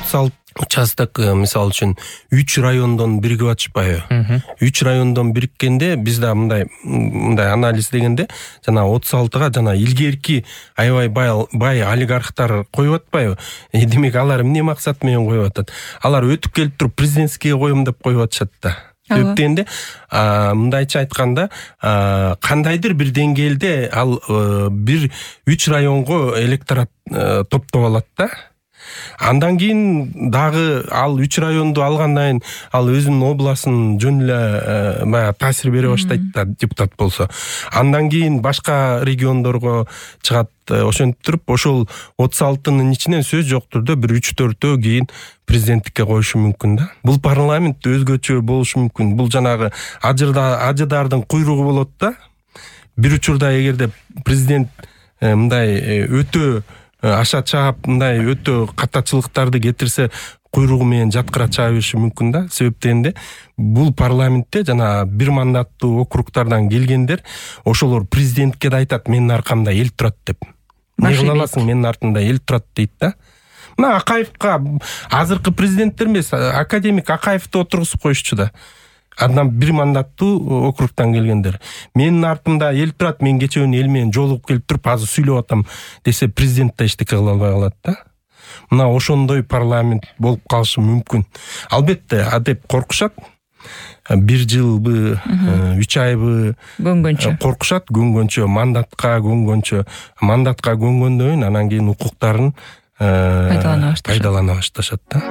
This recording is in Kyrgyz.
36 участок мисалы үчүн 3 райондон биригип атышпайбы? 3 райондон бириккенде биз да мындай анализ дегенде жана 36га жана илгерки аябай бай олигархтар коюп атпайбы? Демек алар эмне максат менен коюп атат? Алар өтүп келип туруп президентскийге коем деп коюп атышат да. Себеп дегенде мындайча айтканда кандайдыр бир деңгээлде ал бир 3 районго электорат топтоп алат да. Андан кийин дагы ал 3 районду алгандан кийин ал өзүнүн областын жөн эле баягы таасир бере баштайт да, депутат болсо. Андан кийин башка региондорго чыгат. Ошентип туруп ошол 36-нын ичинен сөз жок түрдө бир 3-4 кийин президенттикке коюшу мүмкүн да. Бул парламент өзгөчө болушу мүмкүн. Бул жанагы ажыдардын куйругу болот да. Бир учурда эгерде президент мындай өтө аша чаап мындай өтө катачылыктарды кетирсе куйругу менен жаткыра чыга бериши мүмкүн да. Себеп дегенде бул парламентте жана бир мандаттуу округтардан келгендер ошолор президентке да айтат, менин аркамда эл турат деп. Не кыла аласың, менин артымда эл турат дейт да. Мына Акаевка азыркы президенттер эмес, академик Акаевди отургузуп коюшчу да. Андан бир мандаттуу округтан келгендер. Менин артымда эл турат, мен кечеүн эл менен жолугуп келип туруп азыр сүйлөп атам десе президент да эчтеке кыла албай калат да. Мына ошондой парламент болуп калышы мүмкүн. Албетте, деп коркушат. 1 жылбы, 3 айбы көнгөнчө коркушат, көнгөнчө, мандатка көнгөндөн кийин анан кийин укуктарын пайдалана башташат да.